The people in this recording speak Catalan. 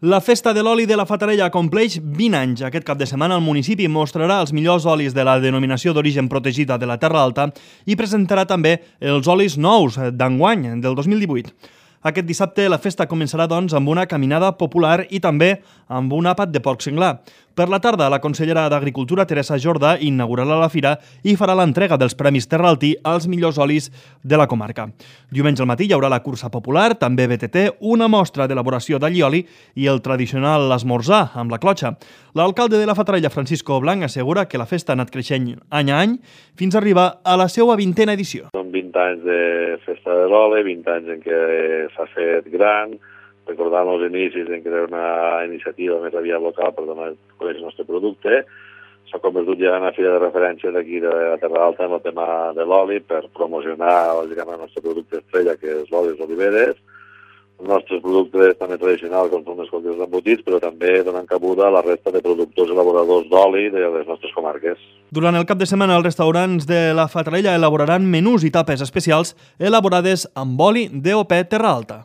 La Festa de l'Oli de la Fatarella compleix 20 anys. Aquest cap de setmana el municipi mostrarà els millors olis de la denominació d'origen protegida de la Terra Alta i presentarà també els olis nous d'enguany, del 2018. Aquest dissabte la festa començarà, doncs, amb una caminada popular i també amb un àpat de porc senglar. Per la tarda, la consellera d'Agricultura, Teresa Jordà, inaugurarà la fira i farà l'entrega dels Premis Terraltí als millors olis de la comarca. Diumenge al matí hi haurà la cursa popular, també BTT, una mostra d'elaboració d'allioli i el tradicional esmorzar amb la clotxa. L'alcalde de la Fatarella, Francisco Blanc, assegura que la festa ha anat creixent any a any fins a arribar a la seva 20a edició. Són 20 anys de festa de l'oli, 20 anys en què s'ha fet gran, recordant els inicis en què era una iniciativa més aviat local per donar a conèixer el nostre producte. S'ha convertit ja en una fira de referència d'aquí de la Terra Alta en el tema de l'oli per promocionar el nostre producte estrella, que és l'oli d'oliveres. Els nostres productes també tradicionals, com són els cultius embotits, però també donen cabuda a la resta de productors i elaboradors d'oli de les nostres comarques. Durant el cap de setmana, els restaurants de la Fatarella elaboraran menús i tapes especials elaborades amb oli DOP Terra Alta.